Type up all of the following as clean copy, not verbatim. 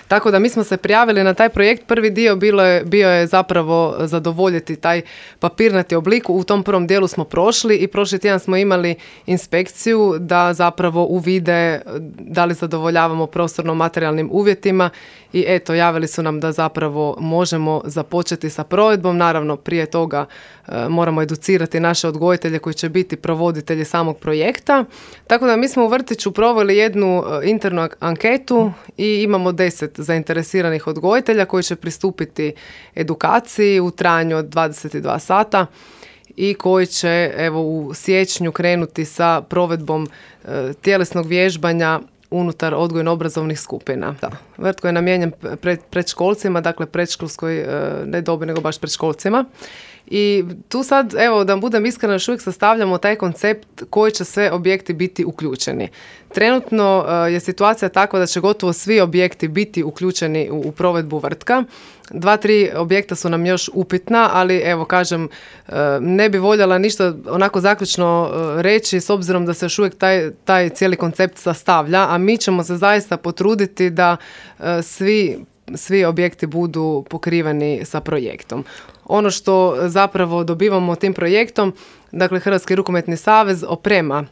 Tako da mi smo se prijavili na taj projekt. Prvi dio bio je zapravo zadovoljiti taj papirnati oblik. U tom prvom dijelu smo prošli i prošli tjedan smo imali inspekciju da zapravo uvide da li zadovoljavamo prostorno-materijalnim uvjetima i eto, javili su nam da zapravo možemo započeti sa provedbom. Naravno, prije toga moramo educirati naše odgojitelje koji će biti provoditelji samog projekta. Tako da mi smo u vrtiću proveli jednu internu anketu i imamo 10 zainteresiranih odgojitelja koji će pristupiti edukaciji u trajanju od 22 sata i koji će u siječnju krenuti sa provedbom tjelesnog vježbanja unutar odgojno-obrazovnih skupina. Da. Vrt koji je namijenjen predškolcima, dakle predškolskoj ne dobi, nego baš predškolcima. I tu sad, da budem iskrena, još uvijek sastavljamo taj koncept koji će sve objekti biti uključeni. Trenutno je situacija takva da će gotovo svi objekti biti uključeni u provedbu vrtka. 2-3 objekta su nam još upitna, ali kažem, ne bi voljela ništa onako zaključno reći s obzirom da se još uvijek taj cijeli koncept sastavlja, a mi ćemo se zaista potruditi da svi objekti budu pokriveni sa projektom. Ono što zapravo dobivamo tim projektom, dakle Hrvatski rukometni savez oprema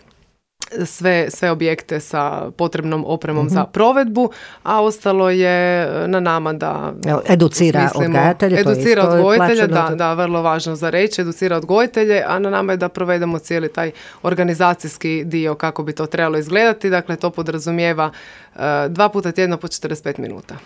sve objekte sa potrebnom opremom za provedbu, a ostalo je na nama da educira odgajatelje. Educira odgojitelje, da, vrlo važno za reći, educira odgojitelje, a na nama je da provedemo cijeli taj organizacijski dio kako bi to trebalo izgledati. Dakle, to podrazumijeva 2 puta tjedno po 45 minuta.